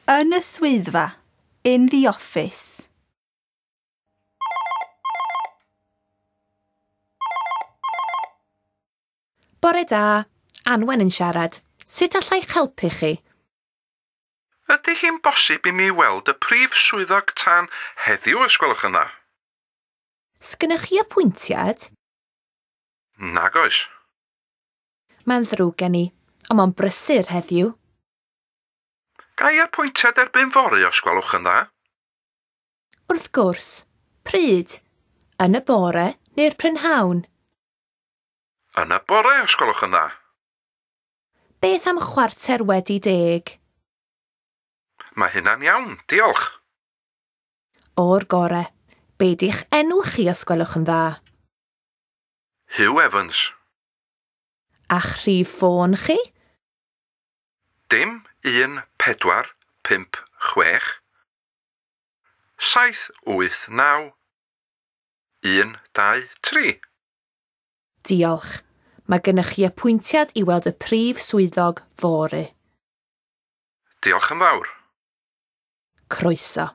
Yn y swyddfa. In the office. Bore da, Anwen yn siarad. Sut allai'ch helpu chi? Ydy hi'n bosib i mi weld y prif swyddog tân heddiw, os gwelwch yn dda? Sgynnoch chi apwyntiad? Nag oes. Mae'n ddrwg gen i, ond mae'n brysur heddiw. Ga i apwyntiad erbyn fory, os gwelwch yn dda? Wrth gwrs. Pryd? Yn y bore neu'r prynhawn? Yn y bore, os gwelwch yn dda. Beth am 10:15? Mae hynna'n iawn, diolch. O'r gore. Be di'ch enw chi, os gwelwch yn dda? Hugh Evans. A'ch rhif ffôn chi? 0 1 4 5 6 7 8 9 1 2 3. Diolch. Mae gennych chi apwyntiad i weld y prif swyddog fory. Diolch yn fawr. Croeso.